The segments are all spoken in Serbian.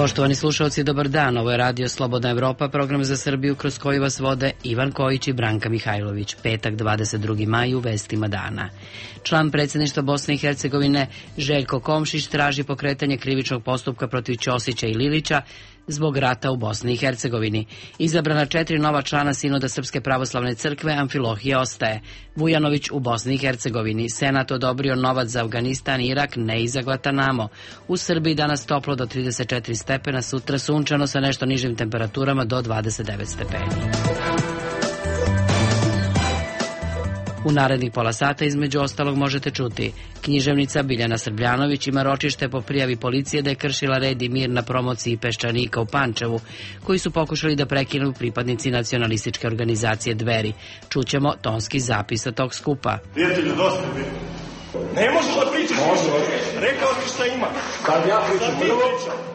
Poštovani slušalci, dobar dan. Ovo je Radio Slobodna Evropa, program za Srbiju kroz koji vas vode Ivan Kojić i Branka Mihajlović. Petak, 22. maj, u vestima dana. Član predsjedništva Bosne i Hercegovine Željko Komšić traži pokretanje krivičnog postupka protiv Ćosića i Lilića zbog rata u Bosni i Hercegovini. Izabrana 4 nova člana Sinoda Srpske pravoslavne crkve, Amfilohije ostaje. Vujanović u Bosni i Hercegovini. Senat odobrio novac za Afganistan i Irak, ne i za Guantanamo. U Srbiji danas toplo do 34 stepena, sutra sunčano sa nešto nižim temperaturama do 29 stepeni. U narednih pola sata između ostalog možete čuti: književnica Biljana Srbljanović ima ročište po prijavi policije da je kršila red i mir na promociji Peščanika u Pančevu, koji su pokušali da prekinu pripadnici nacionalističke organizacije Dveri. Čućemo tonski zapis sa tog skupa. Prijatelju, dosta mi. Ne možeš da pričaš više. Rekao ti šta ima. Kad ja pričam, sad ti pričam.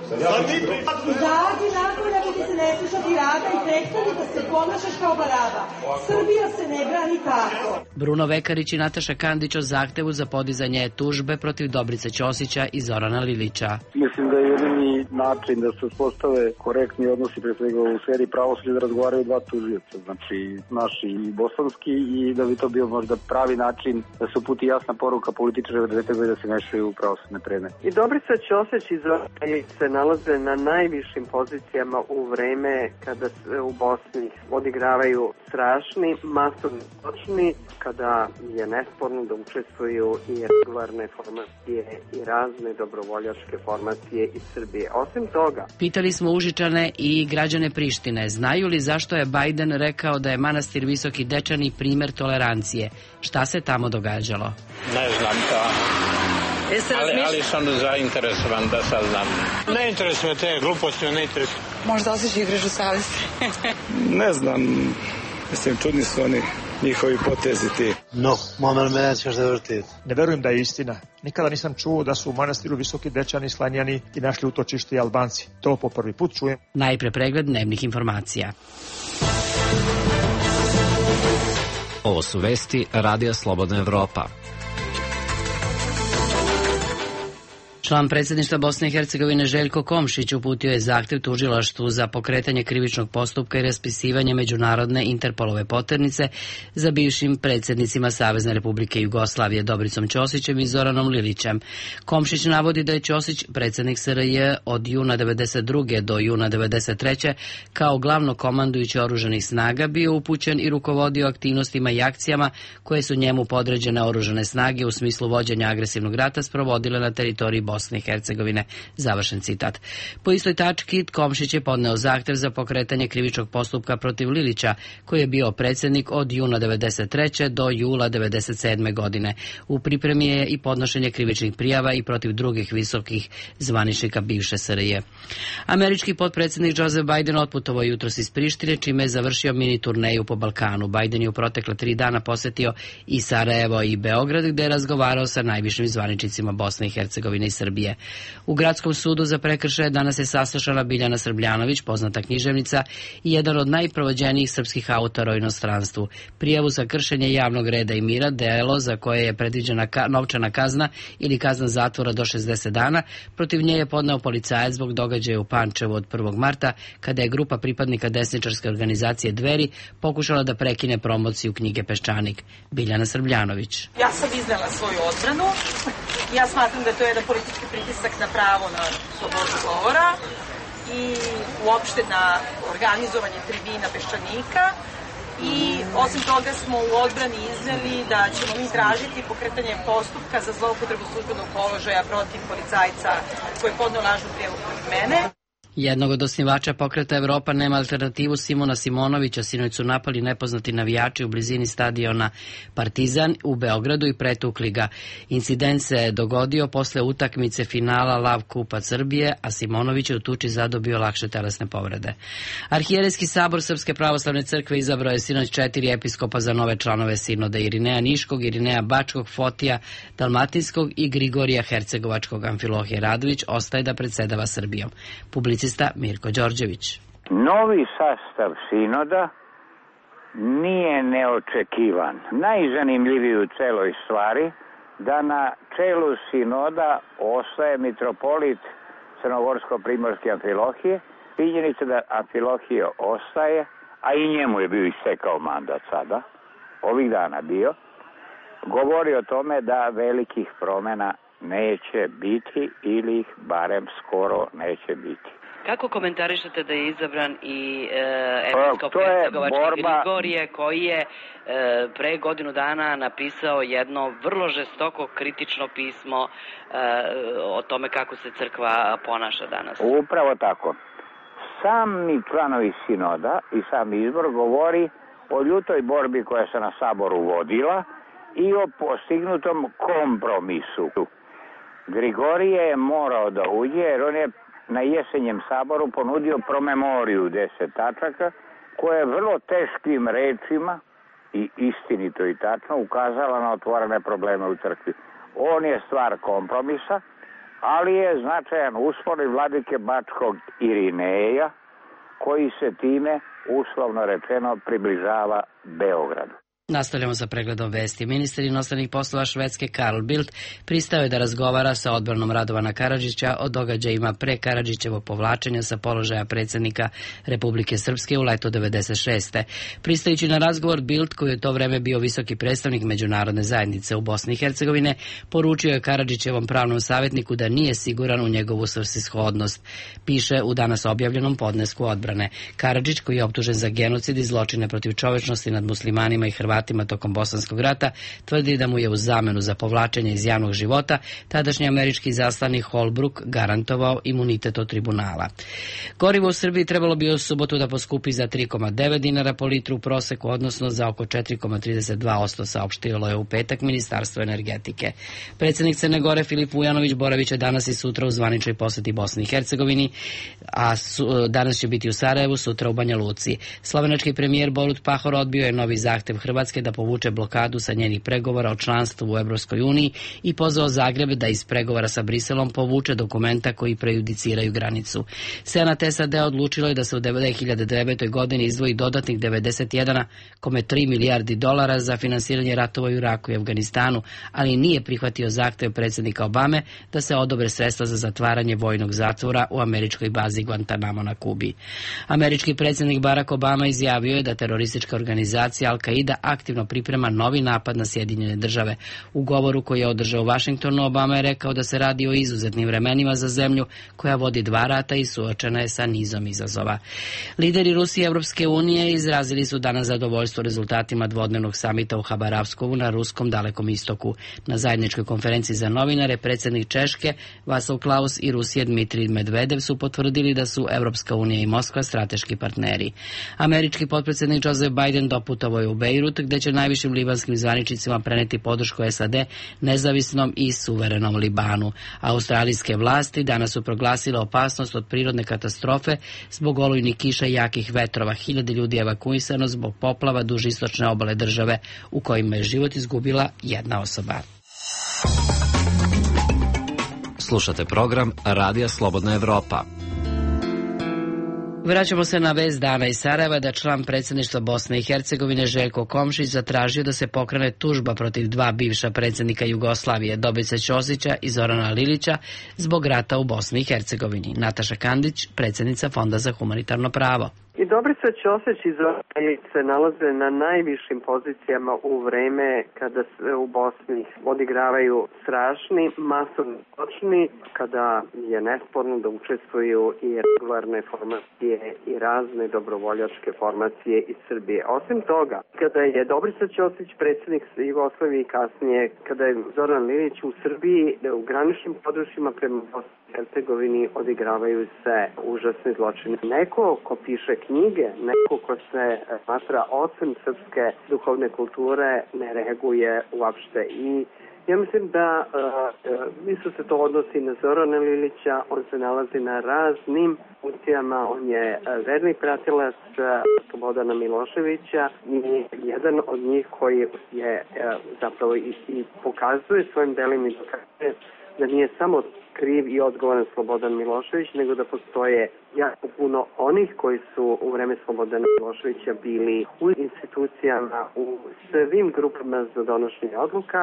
Izađi nakon ako ti se ne slušati rada i prestani da se ponašaš kao baraba. Srbija se ne brani tako. Bruno Vekarić i Nataša Kandić o zahtevu za podizanje tužbe protiv Dobrice Ćosića i Zorana Lilića. Mislim da je jedini način da se uspostave korektni odnosi pre svega u sferi pravosuđa da razgovaraju dva tužioca, znači naši i bosanski, i da bi to bio možda pravi način da se uputi jasna poruka političara da treba da se mešaju u pravosudne predmete. I Dobrica Ćosić i Zoran Lilić se nalaze na najvišim pozicijama u vreme kada se u Bosni odigravaju strašni masovni zločini, kada je nesporno da učestvuju i regularne formacije i razne dobrovoljačke formacije iz Srbije. Osim toga, pitali smo Užičane i građane Prištine, znaju li zašto je Bajden rekao da je manastir Visoki Dečani primer tolerancije? Šta se tamo događalo? Ne znam to. Ali sam zainteresovan da saznam. Ne interesuje te gluposti, ne interesuje. Možda osjećaš igraš u savesti. Ne znam, mislim, čudni su oni njihovi potezi ti. No, momer me nećeš da vrti. Ne verujem da je istina. Nikada nisam čuo da su u manastiru Visoki Dečani sklanjani i našli utočište i Albanci. To po prvi put čujem. Najpre pregled dnevnih informacija. Ovo su vesti Radija Slobodna Evropa. Član predsjedništva Bosne i Hercegovine Željko Komšić uputio je zahtev tužilaštvu za pokretanje krivičnog postupka i raspisivanje međunarodne Interpolove poternice za bivšim predsjednicima Savezne Republike Jugoslavije Dobricom Ćosićem i Zoranom Lilićem. Komšić navodi da je Ćosić, predsjednik SRJ od juna 1992. do juna 1993. kao glavno komandujući oružanih snaga bio upućen i rukovodio aktivnostima i akcijama koje su njemu podređene oružane snage u smislu vođenja agresivnog rata sprovodile na teritoriji Bosne i Hercegovine. Završen citat. Po istoj tački Komšić je podneo zahtev za pokretanje krivičnog postupka protiv Lilića, koji je bio predsjednik od juna 1993. do jula 1997. godine. U pripremi je i podnošenje krivičnih prijava i protiv drugih visokih zvaničnika bivše SRJ. Američki potpredsjednik Joseph Biden otputovao jutros iz Prištine, čime je završio mini turneju po Balkanu. Biden je u protekle 3 dana posjetio i Sarajevo i Beograd, gde je razgovarao sa najvišim zvaničnicima Bosne i Hercegovine i Srbije. U Gradskom sudu za prekršaje danas je saslušana Biljana Srbljanović, poznata književnica i jedan od najprovođenijih srpskih autora u inostranstvu. Prijavu za kršenje javnog reda i mira, delo za koje je predviđena novčana kazna ili kazna zatvora do 60 dana, protiv nje je podneo policajac zbog događaja u Pančevu od 1. marta, kada je grupa pripadnika desničarske organizacije Dveri pokušala da prekine promociju knjige Peščanik. Biljana Srbljanović. Ja sam iznela svoju odbranu. Ja smatram da je to jedan politički pritisak na pravo na slobodu govora i uopšte na organizovanje tribina Peščanika. I osim toga smo u odbrani izneli da ćemo mi tražiti pokretanje postupka za zloupotrebu službenog položaja protiv policajca koji je podneo lažnu prijavu protiv mene. Jednog od osnivača pokreta Evropa nema alternativu, Simona Simonovića, sinoć su napali nepoznati navijači u blizini stadiona Partizan u Beogradu i pretukli ga. Incident se dogodio posle utakmice finala Lav Kupa Srbije, a Simonović je u tuči zadobio lakše telesne povrede. Arhijerejski sabor Srpske pravoslavne crkve izabrao je sinoć 4 episkopa za nove članove sinoda: Irineja Niškog, Irineja Bačkog, Fotija Dalmatinskog i Grigorija Hercegovačkog. Amfilohije Radović ostaje da predsedava Srbijom. Publicista Mirko Đorđević. Novi sastav sinoda nije neočekivan. Najzanimljiviji u celoj stvari da na čelu sinoda ostaje mitropolit crnogorsko-primorske Amfilohije. Činjenica da Amfilohije ostaje, a i njemu je bio istekao mandat sada, ovih dana bio, govori o tome da velikih promjena neće biti ili ih barem skoro neće biti. Kako komentarišete da je izabran i episkop-hercegovački Grigorije, koji je pre godinu dana napisao jedno vrlo žestoko kritično pismo o tome kako se crkva ponaša danas? Upravo tako. Sami članovi sinoda i sam izbor govori o ljutoj borbi koja se na saboru vodila i o postignutom kompromisu. Grigorije je morao da uđe jer on je na jesenjem saboru ponudio promemoriju 10 tačaka koja je vrlo teškim rečima i istinito i tačno ukazala na otvorene probleme u crkvi. On je stvar kompromisa, ali je značajan uspor i vladike Bačkog Irineja koji se time, uslovno rečeno, približava Beogradu. Nastavljamo sa pregledom vesti. Ministar inostranih poslova Švedske Carl Bildt pristao je da razgovara sa odbranom Radovana Karadžića o događajima pre Karadžićevog povlačenja sa položaja predsjednika Republike Srpske u leto 96. Pristajući na razgovor, Bildt, koji je u to vreme bio visoki predstavnik međunarodne zajednice u Bosni i Hercegovine, poručio je Karadžićevom pravnom savjetniku da nije siguran u njegovu svrsishodnost. Piše u danas objavljenom podnesku odbrane. Karadžić, koji je optužen za genocid i zločine protiv čovečnosti nad muslimanima i Hrvatima tokom Bosanskog rata, tvrdi da mu je u zamenu za povlačenje iz javnog života tadašnji američki izaslanik Holbrook garantovao imunitet od tribunala. Gorivo u Srbiji trebalo bi u subotu da poskupi za 3,9 dinara po litru u proseku, odnosno za oko 4,32%, saopštilo je u petak Ministarstvo energetike. Predsjednik Crne Gore Filip Vujanović boravit će danas i sutra u zvaničnoj posjeti Bosni i Hercegovini, a danas će biti u Sarajevu, sutra u Banja Luci. Slovenački premijer Borut Pahor odbio je novi zahtev Hrvatske da povuče blokadu sa njenih pregovora o članstvu u Evropskoj uniji i pozvao Zagreb da iz pregovora sa Briselom povuče dokumenta koji prejudiciraju granicu. Senat SAD odlučilo je da se u 2009. godini izdvoji dodatnih 91,3 milijardi dolara za finansiranje ratova u Iraku i Afganistanu, ali nije prihvatio zahtev predsjednika Obame da se odobre sredstva za zatvaranje vojnog zatvora u američkoj bazi Guantanamo na Kubi. Američki predsjednik Barack Obama izjavio je da teroristička organizacija Al-Qaida aktivno priprema novi napad na Sjedinjene države. U govoru koji je održao u Vašingtonu, Obama je rekao da se radi o izuzetnim vremenima za zemlju koja vodi 2 rata i suočena je sa nizom izazova. Lideri Rusije i Evropske unije izrazili su danas zadovoljstvo rezultatima dvodnevnog samita u Habarovskovu na ruskom Dalekom istoku. Na zajedničkoj konferenciji za novinare predsjednik Češke Václav Klaus i Rusije Dmitrij Medvedev su potvrdili da su Evropska unija i Moskva strateški partneri. Američki potpredsjednik Joseph Biden doputovao je u Bejrut, gde će najvišim libanskim zvaničnicima preneti podršku SAD nezavisnom i suverenom Libanu. Australijske vlasti danas su proglasile opasnost od prirodne katastrofe zbog olujnih kiša i jakih vetrova. 1000 ljudi evakuisano zbog poplava duž istočne obale države, u kojima je život izgubila jedna osoba. Slušate program Radija Slobodna Evropa. Vraćamo se na vest dana iz Sarajeva da član predsjedništva Bosne i Hercegovine Željko Komšić zatražio da se pokrene tužba protiv 2 bivša predsjednika Jugoslavije, Dobrice Ćosića i Zorana Lilića, zbog rata u Bosni i Hercegovini. Nataša Kandić, predsjednica Fonda za humanitarno pravo. I Dobrica Ćosić i Zoran Lilić se nalaze na najvišim pozicijama u vreme kada se u Bosni odigravaju strašni masovni zločini, kada je nesporno da učestvuju i regularne formacije i razne dobrovoljačke formacije iz Srbije. Osim toga, kada je Dobrica Ćosić predsjednik Jugoslavije i kasnije, kada je Zoran Lilić u Srbiji, u graničnim područjima prema Bosni i Hercegovini odigravaju se užasni zločini. Neko ko piše knjige, neko ko se smatra ocem srpske duhovne kulture ne reaguje uopšte. I ja mislim da isto se to odnosi na Zorana Lilića, on se nalazi na raznim funkcijama, on je verni pratilac Slobodana Miloševića i jedan od njih koji je zapravo i pokazuje svojim delima i dokazuje da nije samo kriv i odgovoran Slobodan Milošević, nego da postoje jako puno onih koji su u vreme Slobodana Miloševića bili u institucijama, u svim grupama za donošenje odluka,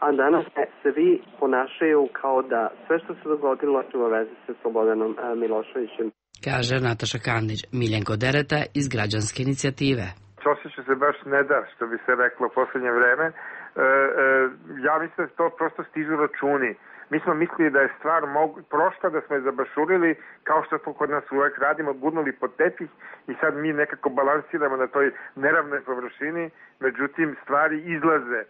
a danas se svi ponašaju kao da sve što se dogodilo ima veze sa Slobodanom Miloševićem. Kaže Nataša Kandić. Miljenko Dereta iz Građanske inicijative. Ćosiću se baš ne da, što bi se reklo u poslednje vreme. Ja mislim da to prosto stižu računi. Mi smo mislili da je stvar prošla, da smo je zabašurili, kao što smo kod nas uvek radimo, gurnuli pod tepih i sad mi nekako balansiramo na toj neravnoj površini, međutim stvari izlaze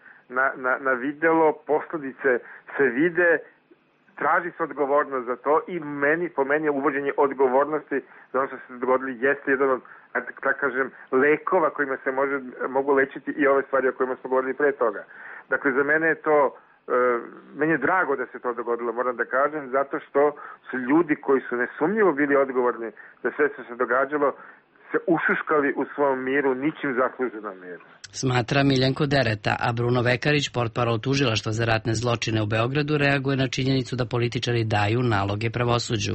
na videlo, posledice se vide, traži se odgovornost za to i po meni je uvođenje odgovornosti za ono što se dogodili jeste jedan od, tako kažem, lekova kojima se mogu lečiti i ove stvari o kojima smo govorili pre toga. Dakle, za mene je to, meni je drago da se to dogodilo, moram da kažem, zato što su ljudi koji su nesumnjivo bili odgovorni za sve što se događalo, se ušuškali u svom miru, ničim zasluženom miru. Smatra Miljenko Dereta, a Bruno Vekarić, portparol Tužilaštva za ratne zločine u Beogradu, reaguje na činjenicu da političari daju naloge pravosuđu.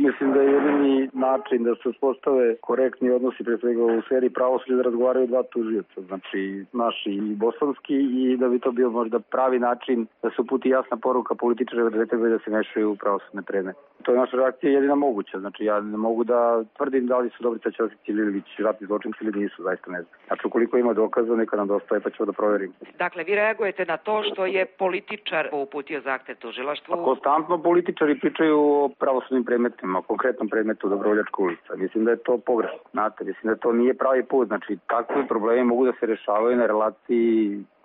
Mislim da je jedini način da se uspostave korektni odnosi pre svega u sferi pravosuđa da razgovaraju dva tužioca, znači naši i bosanski, i da bi to bio možda pravi način da se uputi jasna poruka političara da ne treba da se mešaju u pravosudne predmete. To je naša reakcija jedina moguća, znači ja ne mogu da tvrdim da li su Dobrica Ćosić ili Ilić ratni zločinci ili nisu, zaista ne znam. Znači ukoliko ima dokaza neka nam dostaje pa ćemo da proverimo. Dakle, vi reagujete na to što je političar uputio zahtev tužilaštvu? Konstantno političari pričaju o pravosudnim predmetima, o konkretnom predmetu Dobrovoljačka ulica. Mislim da je to pogrešno. Znate, mislim da to nije pravi put. Znači, takvi problemi mogu da se rešavaju na relaciji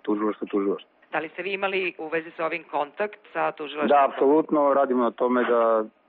tužilaštvo. Da li ste vi imali u vezi sa ovim kontakt sa tužilaštvom? Da, apsolutno. Radimo na tome da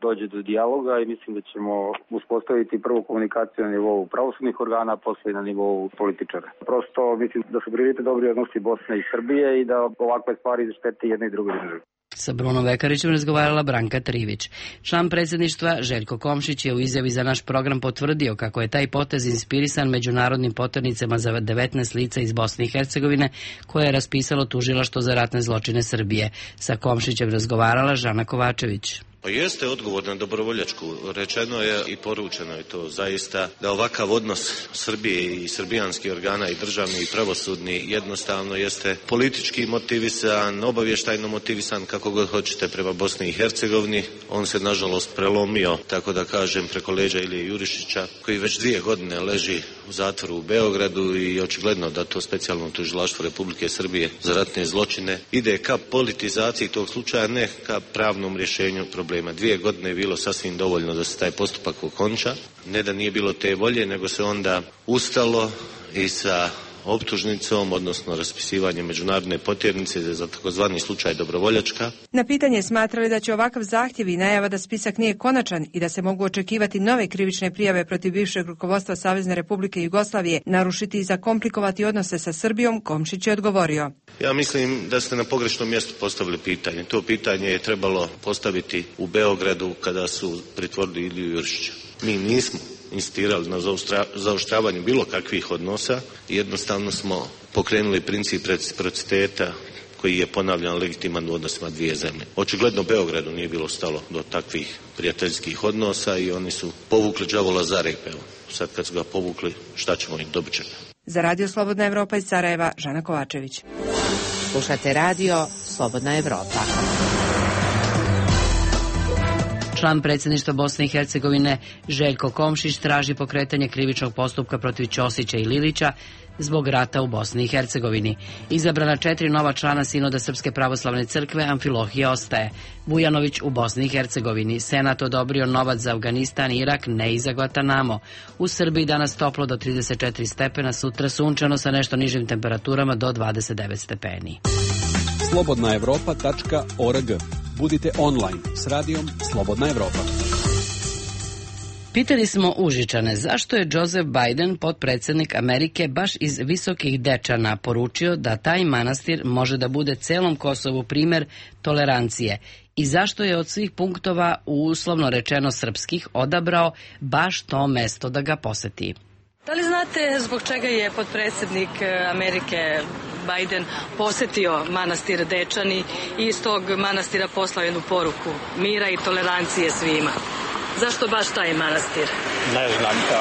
dođe do dijaloga i mislim da ćemo uspostaviti prvu komunikaciju na nivou pravosudnih organa, a posle na nivou političara. Prosto mislim da su prioritet dobri odnosi Bosne i Srbije i da ovakve stvari štete jedne i druge države. Sa Brunom Vekarićem razgovarala Branka Trivić. Član predsjedništva Željko Komšić je u izjavi za naš program potvrdio kako je taj potez inspirisan međunarodnim poternicama za 19 lica iz Bosne i Hercegovine koje je raspisalo Tužilaštvo za ratne zločine Srbije. Sa Komšićem razgovarala Žana Kovačević. Pa jeste odgovor na Dobrovoljačku. Rečeno je i poručeno je to zaista da ovakav odnos Srbije i srbijanskih organa i državni i pravosudni jednostavno jeste politički motivisan, obavještajno motivisan, kako god hoćete, prema Bosni i Hercegovini. On se nažalost prelomio, tako da kažem, preko leđa Ilije Jurišića, koji već 2 godine leži u zatvoru u Beogradu i očigledno da to specijalno tužilaštvo Republike Srbije za ratne zločine ide ka politizaciji tog slučaja, ne ka pravnom rješenju problema. 2 godine je bilo sasvim dovoljno da se taj postupak okonča. Ne da nije bilo te volje, nego se onda ustalo i sa optužnicom, odnosno raspisivanjem međunarodne potjernice za takozvani slučaj Dobrovoljačka. Na pitanje smatrali da će ovakav zahtjev i najava da spisak nije konačan i da se mogu očekivati nove krivične prijave protiv bivšeg rukovodstva Savezne Republike Jugoslavije narušiti i zakomplikovati odnose sa Srbijom, Komšić je odgovorio. Ja mislim da ste na pogrešnom mjestu postavili pitanje. To pitanje je trebalo postaviti u Beogradu kada su pritvorili Iliju Jurišića. Mi nismo insistirali na zaoštravanju bilo kakvih odnosa, jednostavno smo pokrenuli princip reciprociteta koji je ponavljan legitiman u odnosima 2 zemlje. Očigledno Beogradu nije bilo stalo do takvih prijateljskih odnosa i oni su povukli đavola za rep. Sad kad su ga povukli, šta ćemo im, dobit ćemo. Za Radio Slobodna Evropa iz Sarajeva, Žana Kovačević. Slušate Radio Slobodna Evropa. Član predsjedništva Bosne i Hercegovine Željko Komšić traži pokretanje krivičnog postupka protiv Ćosića i Lilića zbog rata u Bosni i Hercegovini. Izabrana 4 nova člana Sinoda Srpske pravoslavne crkve, Amfilohije ostaje. Vujanović u Bosni i Hercegovini. Senat odobrio novac za Afganistan i Irak, ne i za Guantanamo. U Srbiji danas toplo do 34 stepena, sutra sunčano sa nešto nižim temperaturama do 29 stepeni. slobodnaevropa.org. Budite online s radijom Slobodna Evropa. Pitali smo Užičane zašto je Joseph Biden, potpredsjednik Amerike, baš iz Visokih Dečana poručio da taj manastir može da bude celom Kosovu primer tolerancije i zašto je od svih punktova, uslovno rečeno srpskih, odabrao baš to mesto da ga poseti. Da li znate zbog čega je potpredsjednik Amerike Biden posetio manastir Dečani i iz tog manastira poslao jednu poruku mira i tolerancije svima? Zašto baš taj manastir? Ne znam to.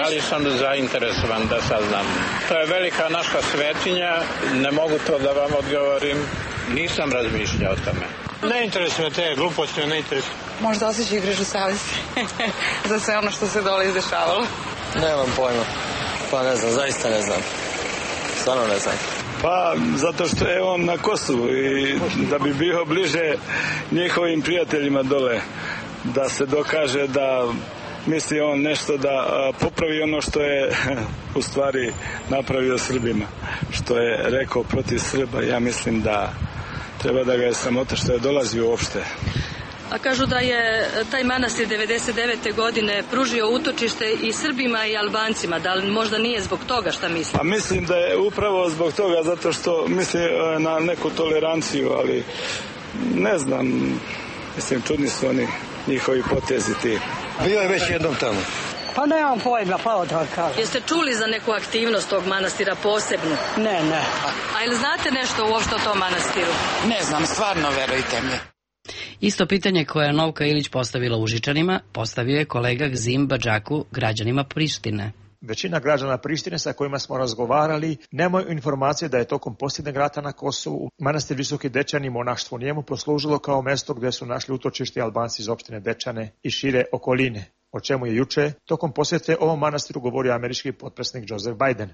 Ali sam zainteresovan da saznam. To je velika naša svetinja, ne mogu to da vam odgovorim, nisam razmišljao o tome. Ne interesuje te gluposti, ne interesuje. Možda osjećaju grižu savjesti za sve ono što se dole izdešavalo. Nemam pojma. Pa ne znam, zaista ne znam. Stvarno ne znam. Pa zato što je on na Kosovu i da bi bio bliže njihovim prijateljima dole, da se dokaže da misli on nešto da popravi ono što je u stvari napravio Srbima, što je rekao protiv Srba. Ja mislim da treba da ga je sramota što je dolazio uopšte. A kažu da je taj manastir 99. godine pružio utočište i Srbima i Albancima. Da li možda nije zbog toga, šta misli? A mislim da je upravo zbog toga, zato što misli na neku toleranciju, ali ne znam, mislim, čudni su oni njihovi potezi ti. Bio je već jednom tamo. Pa nemam pojma, pa da kažem. Jeste čuli za neku aktivnost tog manastira posebnu? Ne. A ili znate nešto uopšte o tom manastiru? Ne znam, stvarno, verujte mi. Isto pitanje koje je Novka Ilić postavila Užičanima, postavio je kolega Gzim Badžaku građanima Prištine. Većina građana Prištine sa kojima smo razgovarali nemaju informacije da je tokom posljednjeg rata na Kosovu manastir Visoki Dečani i monaštvo u njemu poslužilo kao mesto gdje su našli utočište Albanci iz opštine Dečane i šire okoline, o čemu je juče tokom posjete ovom manastiru govorio američki potpredsjednik Joseph Biden.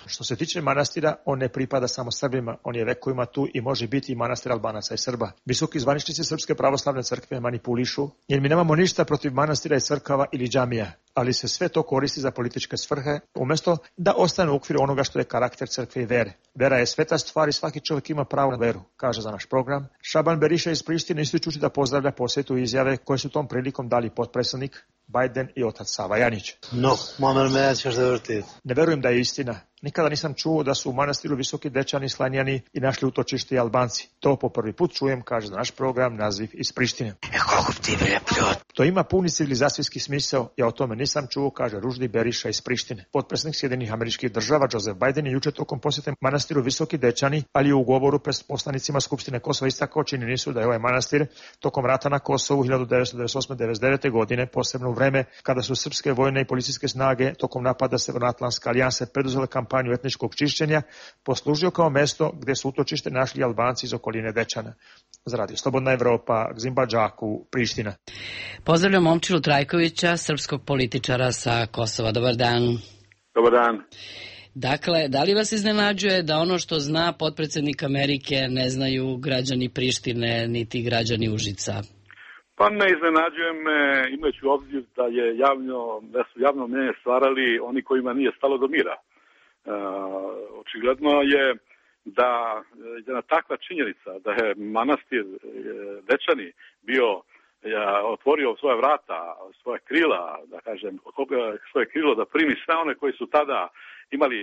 Što se tiče manastira, on ne pripada samo Srbima, on je vekovima tu i može biti i manastir Albanaca i Srba. Visoki zvaničnici Srpske pravoslavne crkve manipulišu, jer mi nemamo ništa protiv manastira i crkava ili džamija, ali se sve to koristi za političke svrhe, umjesto da ostane u okviru onoga što je karakter crkve i vere. Vera je sveta stvar i svaki čovjek ima pravo na veru, kaže za naš program Šaban Beriša iz Prištine, ističući da pozdravlja posjetu i izjave koje su tom prilikom dali potpredsjednik Biden i otac Sava Janjić. Ne verujem da je istina. Nikada nisam čuo da su u manastiru Visoki Dečani slanjani i našli utočište i Albanci. To po prvi put čujem, kaže za naš program Naziv iz Prištine. To ima puni civilizacijski smisao, ja o tome nisam čuo, kaže Ruždi Beriša iz Prištine. Potpredsjednik Sjedinjenih Američkih Država Joseph Biden je juče tokom posjete manastiru Visoki Dečani, ali i u govoru pred poslanicima Skupštine Kosova istakao činjenicu da je ovaj manastir tokom rata na Kosovu 1998-1999. godine, posebno u vreme kada su srpske vojne i policijske snage tokom napada Severnoatlantske alijanse preduzele kampanju etničkog čišćenja, poslužio kao mesto gdje su utočište našli Albanci iz okoline Dečana. Za Radio Slobodna Evropa, Gzim Badžaku, Priština. Pozdravljam Momčilu Trajkovića, srpskog političara sa Kosova. Dobar dan. Dobar dan. Dakle, da li vas iznenađuje da ono što zna potpredsjednik Amerike ne znaju građani Prištine niti građani Užica? Pa ne iznenađuje me, imajući u obzir da su javno mnjenje stvarali oni kojima nije stalo do mira. Očigledno je da jedna takva činjenica da je manastir Dečani bio otvorio svoja vrata, svoja krila, da kažem, svoje krilo da primi sve one koji su tada imali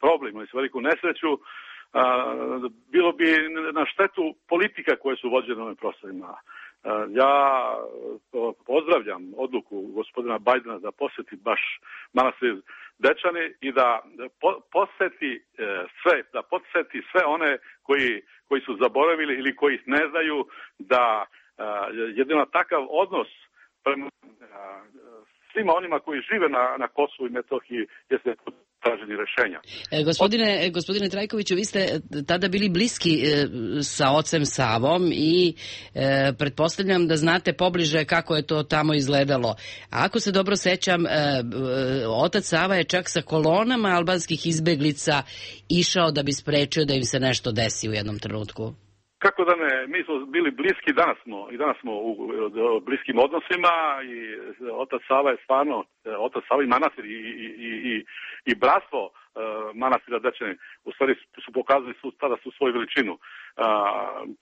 problem, imali su veliku nesreću, bilo bi na štetu politika koje su vođene ovim prostorima. Ja pozdravljam odluku gospodina Bajdena da posjeti baš manastir Dečani i da podsjeti sve one koji su zaboravili ili koji ne znaju da jedino takav odnos prema svima onima koji žive na Kosovu i Metohiji jeste traženi rešenja. Gospodine Trajkoviću, vi ste tada bili bliski sa ocem Savom i pretpostavljam da znate pobliže kako je to tamo izgledalo. A ako se dobro sećam, otac Sava je čak sa kolonama albanskih izbeglica išao da bi sprečio da im se nešto desi u jednom trenutku. Kako da ne, mi smo bili bliski, danas smo u bliskim odnosima i otac Sava je stvarno, otac Sava i manastir i bratstvo manastira Dečani u stvari su pokazali tada svoju veličinu.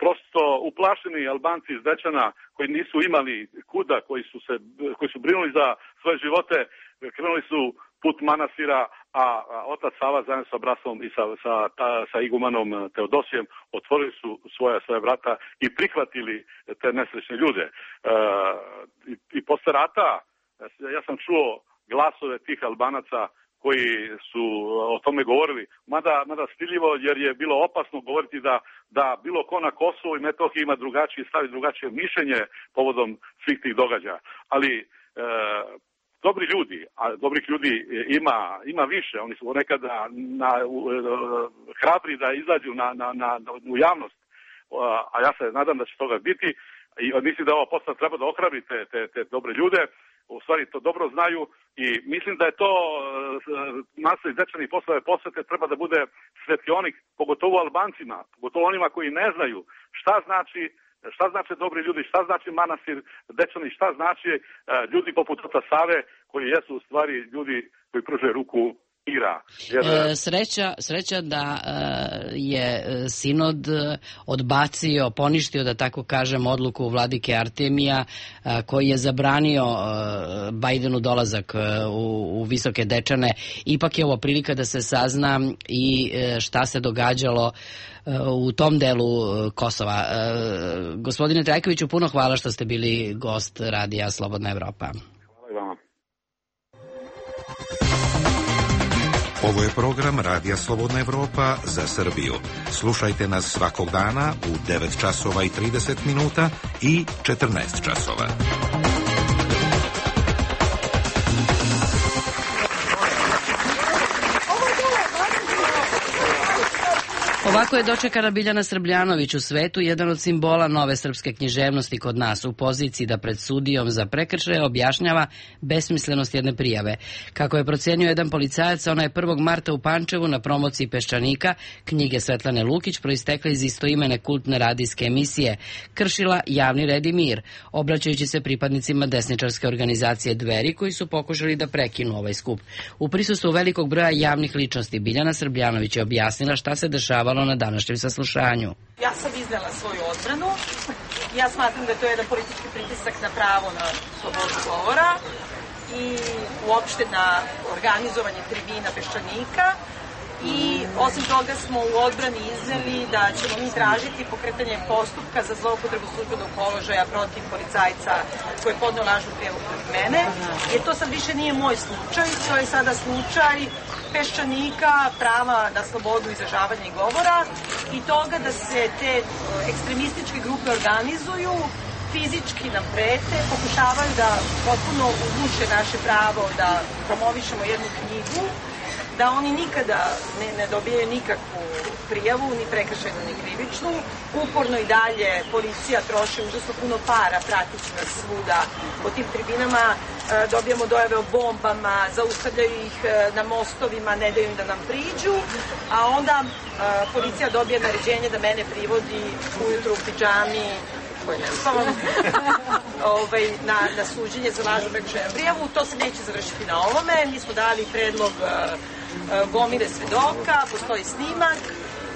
Prosto uplašeni Albanci iz Dečana koji nisu imali kuda, koji su brinuli za svoje živote, krenuli su put manastira, a otac Sava zajedno sa bratstvom i sa igumanom Teodosijem otvorili su svoje vrata i prihvatili te nesrećne ljude. I posle rata ja sam čuo glasove tih Albanaca koji su o tome govorili, mada stiljivo, jer je bilo opasno govoriti da bilo ko na Kosovu i Metohiji ima drugačiji stav i drugačije mišljenje povodom svih tih događaja. Ali dobri ljudi, a dobrih ljudi ima više, oni su nekada hrabri da izađu u javnost, a ja se nadam da će toga biti i mislim da ova postav treba da ohrabri te dobre ljude, u stvari to dobro znaju i mislim da je to nasled dečanih poslove posvete treba da bude svetionik, pogotovo Albancima, pogotovo onima koji ne znaju šta znači dobri ljudi, šta znači manastir Dečani, šta znači ljudi poput oca Save koji jesu u stvari ljudi koji pružaju ruku mira. Sreća da je sinod odbacio, poništio, da tako kažem, odluku vladike Artemija koji je zabranio Bajdenu dolazak u Visoke Dečane. Ipak je ovo prilika da se sazna i šta se događalo u tom delu Kosova. Gospodine Trajkoviću, puno hvala što ste bili gost Radija Slobodna Evropa. Hvala i vama. Ovo je program Radija Slobodna Evropa za Srbiju. Slušajte nas svakog dana u 9 časova i 30 minuta i 14 časova. Ovako je dočekana Biljana Srbljanović u svetu, jedan od simbola nove srpske književnosti kod nas, u poziciji da pred sudijom za prekršaje objašnjava besmislenost jedne prijave. Kako je procenio jedan policajac, ona je 1. marta u Pančevu na promociji Peščanika, knjige Svetlane Lukić, proistekle iz istoimene kultne radijske emisije, kršila javni red i mir, obraćajući se pripadnicima desničarske organizacije Dveri, koji su pokušali da prekinu ovaj skup. U prisustvu velikog broja javnih ličnosti, Biljana Srbljanović je objasnila šta se dešavalo na današnjem saslušanju. Ja sam iznela svoju odbranu. Ja smatram da je to jedan politički pritisak na pravo na slobodu govora i uopšte na organizovanje tribina Peščanika. I osim toga smo u odbrani izneli da ćemo mi tražiti pokretanje postupka za zloupotrebu službenog položaja protiv policajca koji je podneo lažnu prijavu protiv mene, jer to sad više nije moj slučaj, to je sada slučaj Peščanika, prava na slobodu izražavanja i govora i toga da se te ekstremističke grupe organizuju, fizički nam prete, pokušavaju da potpuno uguše naše pravo da promovišemo jednu knjigu, da oni nikada ne dobijaju nikakvu prijavu, ni prekršajnu, ni krivičnu. Uporno i dalje policija troši užasno puno para, pratići nas svuda po tim tribinama, dobijamo dojave o bombama, zaustavljaju ih na mostovima, ne daju im da nam priđu, a onda policija dobije naređenje da mene privodi ujutru u pidžami, koji ne spavam, na suđenje za lažnu prekršajnu prijavu. To se neće završiti na ovome. Mi smo dali predlog gomile svedoka, postoji snimak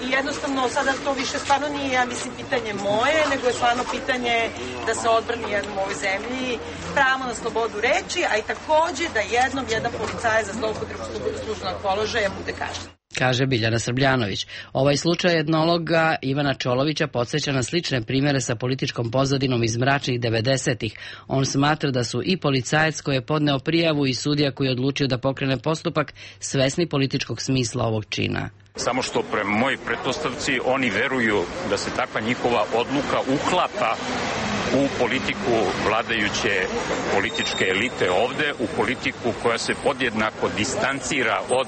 i jednostavno sada to više stvarno nije, ja mislim, pitanje moje, nego je stvarno pitanje da se odbrani jednom u ovoj zemlji pravo na slobodu reči, a i takođe da jedan policajac za zloupotrebu službenog položaja bude kažnjen. Kaže Biljana Srbljanović. Ovaj slučaj etnologa Ivana Čolovića podsjeća na slične primere sa političkom pozadinom iz mračnih 90-ih. On smatra da su i policajac koji je podneo prijavu i sudija koji je odlučio da pokrene postupak svesni političkog smisla ovog čina. Samo što prema mojoj pretpostavci oni veruju da se takva njihova odluka uklapa u politiku vladajuće političke elite ovde, u politiku koja se podjednako distancira od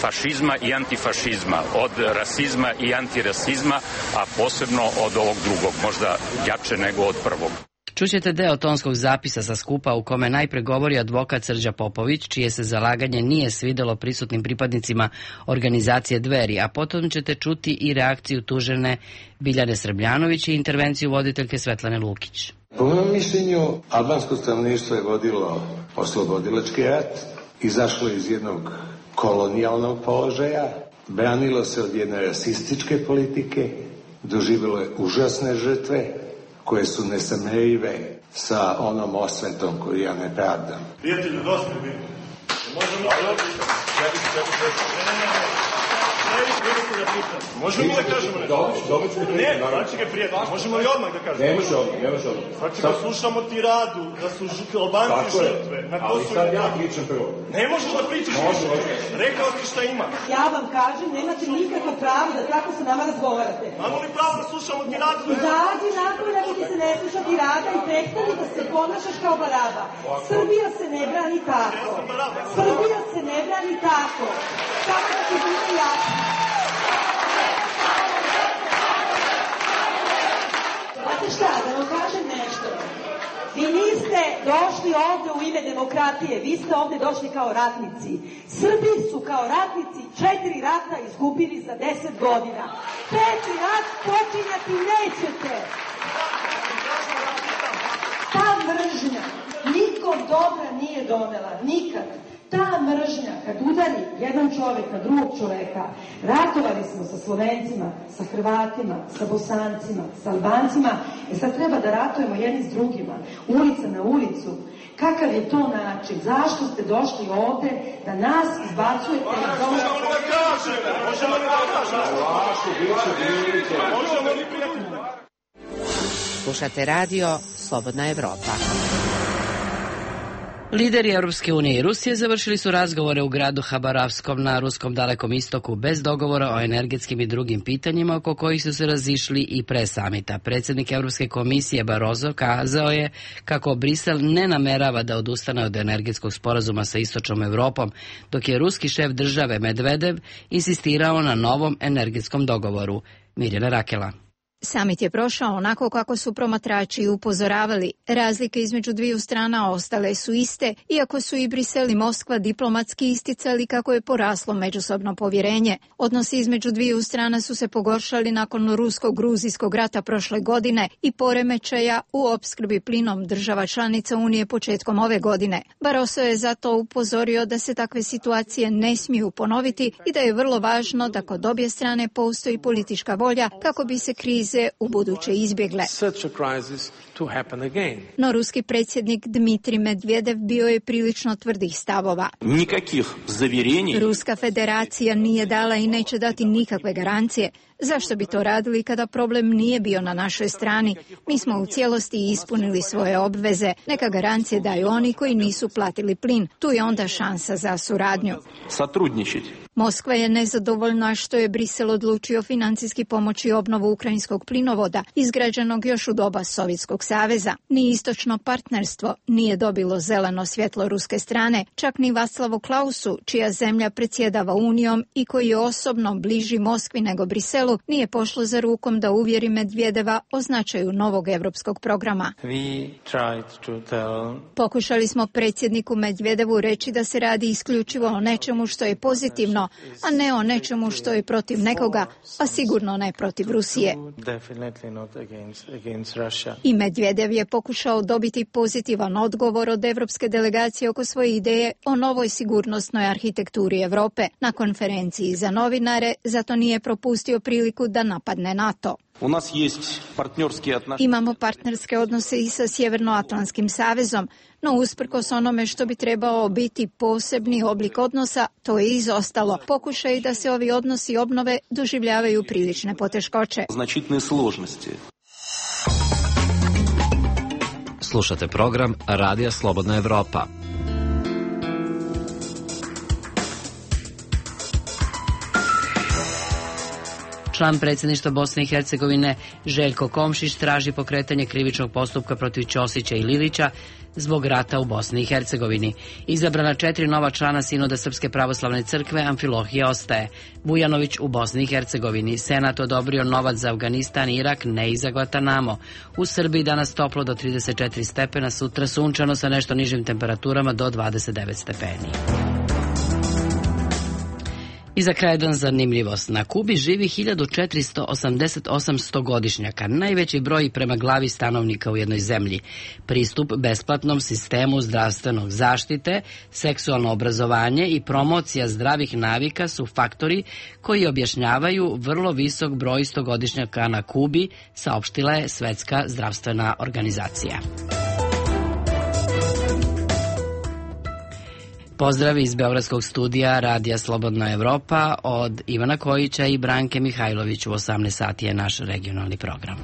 fašizma i antifašizma, od rasizma i antirasizma, a posebno od ovog drugog, možda jače nego od prvog. Čućete deo tonskog zapisa sa skupa u kome najpre govori advokat Srđa Popović, čije se zalaganje nije svidelo prisutnim pripadnicima organizacije Dveri, a potom ćete čuti i reakciju tužene Biljane Srbljanović i intervenciju voditeljke Svetlane Lukić. Po mojom mišljenju, albansko stanovništvo je vodilo oslobodilački rat, izašlo iz jednog kolonijalnog položaja, branilo se od jedne rasističke politike, doživjelo je užasne žrtve, koje su nesamerive sa onom osvetom koju ja ne pravdam. Prijatelju, dosta bi. Možemo Možemo da kažemo nešto? Ne, znači ga prijatelj, možemo li odmah da kažemo? Ne može odmah. Znači da slušamo tiradu, da su Albanci žrtve. Ali sad ja pričam prvo. Ne možeš da pričaš više. Rekao ti šta ima. Ja vam kažem, nemate nikakvo pravo da tako sa nama razgovarate. Imamo li pravo da slušamo tiradu? Izađi napolje ako ti se ne sluša tirada i prestani da se ponašaš kao baraba. Srbija se ne brani tako. Srbija se ne brani tako. Samo da ti bude jasno. Znate šta, da vam kažem nešto. Vi niste došli ovde u ime demokratije, vi ste ovde došli kao ratnici. Srbi su kao ratnici 4 rata izgubili za 10 godina. 5. rat počinjati nećete. Ta mržnja nikom dobra nije donela, nikad. Ta mržnja, kad udari jedan čovek na drugog čoveka, ratovali smo sa Slovencima, sa Hrvatima, sa Bosancima, sa Albancima, sad treba da ratujemo jedni s drugima, ulica na ulicu. Kakav je to način? Zašto ste došli ovde da nas izbacujete? Možemo li da kažemo? Možemo li da kažemo? Slušate radio Slobodna Evropa. Lideri Europske unije i Rusije završili su razgovore u gradu Habarovskom na ruskom Dalekom istoku bez dogovora o energetskim i drugim pitanjima oko kojih su se razišli i pre samita. Predsjednik Europske komisije Barroso kazao je kako Brisel ne namerava da odustane od energetskog sporazuma sa istočnom Evropom, dok je ruski šef države Medvedev insistirao na novom energetskom dogovoru. Mirjana Rakela. Samit je prošao onako kako su promatrači upozoravali. Razlike između dviju strana ostale su iste, iako su i Brisel i Moskva diplomatski isticali kako je poraslo međusobno povjerenje. Odnosi između dviju strana su se pogoršali nakon rusko-gruzijskog rata prošle godine i poremećaja u opskrbi plinom država članica Unije početkom ove godine. Barroso je zato upozorio da se takve situacije ne smiju ponoviti i da je vrlo važno da kod obje strane postoji politička volja kako bi se krize u buduće izbjegle. No ruski predsjednik Dmitrij Medvedev bio je prilično tvrdih stavova. Ruska federacija nije dala i neće dati nikakve garancije. Zašto bi to radili kada problem nije bio na našoj strani? Mi smo u cijelosti ispunili svoje obveze. Neka garancije daju oni koji nisu platili plin. Tu je onda šansa za suradnju. Moskva je nezadovoljna što je Brisel odlučio financijski pomoći obnovu ukrajinskog plinovoda, izgrađenog još u doba Sovjetskog saveza. Ni istočno partnerstvo nije dobilo zeleno svjetlo ruske strane, čak ni Václavu Klausu, čija zemlja predsjedava Unijom i koji je osobno bliži Moskvi nego Briselu, nije pošlo za rukom da uvjeri Medvedeva o značaju novog europskog programa. Pokušali smo predsjedniku Medvedevu reći da se radi isključivo o nečemu što je pozitivno, a ne o nečemu što je protiv nekoga, a sigurno ne protiv Rusije. I Medvedev je pokušao dobiti pozitivan odgovor od evropske delegacije oko svoje ideje o novoj sigurnosnoj arhitekturi Europe. Na konferenciji za novinare zato nije propustio priliku da napadne NATO. Imamo partnerske odnose i sa Sjevernoatlantskim savezom, no usprkos onome što bi trebao biti posebni oblik odnosa, to je izostalo. Pokušaj da se ovi odnosi obnove doživljavaju prilične poteškoće. Slušate program Radija Slobodna Evropa. Član predsjedništva Bosne i Hercegovine Željko Komšić traži pokretanje krivičnog postupka protiv Ćosića i Lilića zbog rata u Bosni i Hercegovini. Izabrana 4 nova člana Sinoda Srpske pravoslavne crkve, Amfilohije ostaje. Vujanović u Bosni i Hercegovini. Senat odobrio novac za Afganistan i Irak, ne i za Guantanamo. U Srbiji danas toplo do 34 stepena, sutra sunčano sa nešto nižim temperaturama do 29 stepeni. I za kraj jedan zanimljivost. Na Kubi živi 1488 stogodišnjaka, najveći broj prema glavi stanovnika u jednoj zemlji. Pristup besplatnom sistemu zdravstvenog zaštite, seksualno obrazovanje i promocija zdravih navika su faktori koji objašnjavaju vrlo visok broj stogodišnjaka na Kubi, saopštila je Svetska zdravstvena organizacija. Pozdrav iz Beogradskog studija Radija Slobodna Evropa od Ivana Kojića i Branke Mihajlović. U 18 sati je naš regionalni program.